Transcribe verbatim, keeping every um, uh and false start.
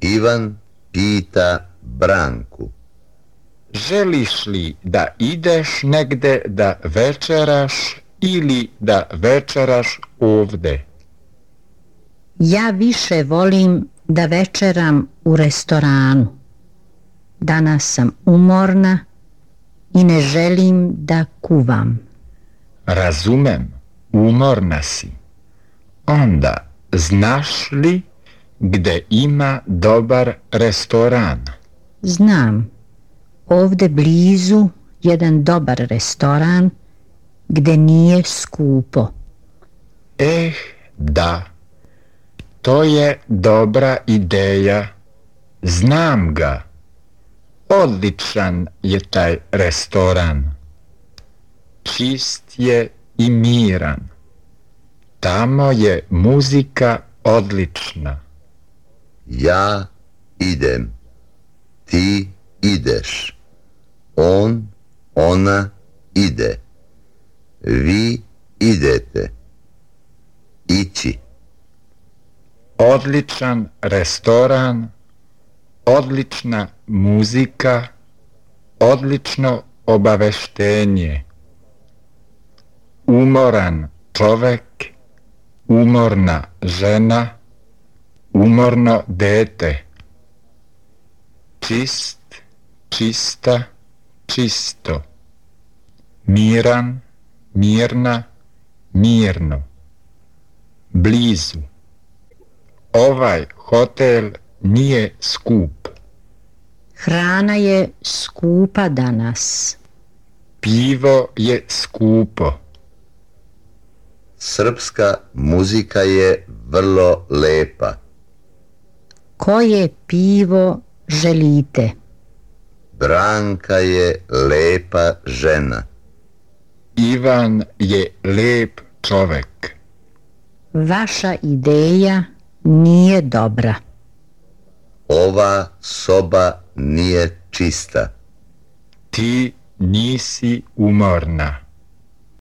Ivan pita Branku. Želiš li da ideš negde da večeraš ili da večeraš ovde? Ja više volim da večeram u restoranu. Danas sam umorna i ne želim da kuvam. Razumem, umorna si. Onda, znaš li gde ima dobar restoran? Znam, ovde blizu jedan dobar restoran gde nije skupo. Eh, da, to je dobra ideja. Znam ga. Odličan je taj restoran. Čist je i miran. Tamo je muzika odlična. Ja idem. Ti ideš. On, ona ide. Vi idete. Ići. Odličan restoran, odlična muzika, odlično obaveštenje. Umoran čovek, umorna žena, umorno dete. Čist, čista, čisto. Miran, mirna, mirno. Blizu. Ovaj hotel nije skup. Hrana je skupa danas. Pivo je skupo. Srpska muzika je vrlo lepa. Koje pivo želite? Branka je lepa žena. Ivan je lep čovek. Vaša ideja nije dobra. Ova soba nije čista. Ti nisi umorna.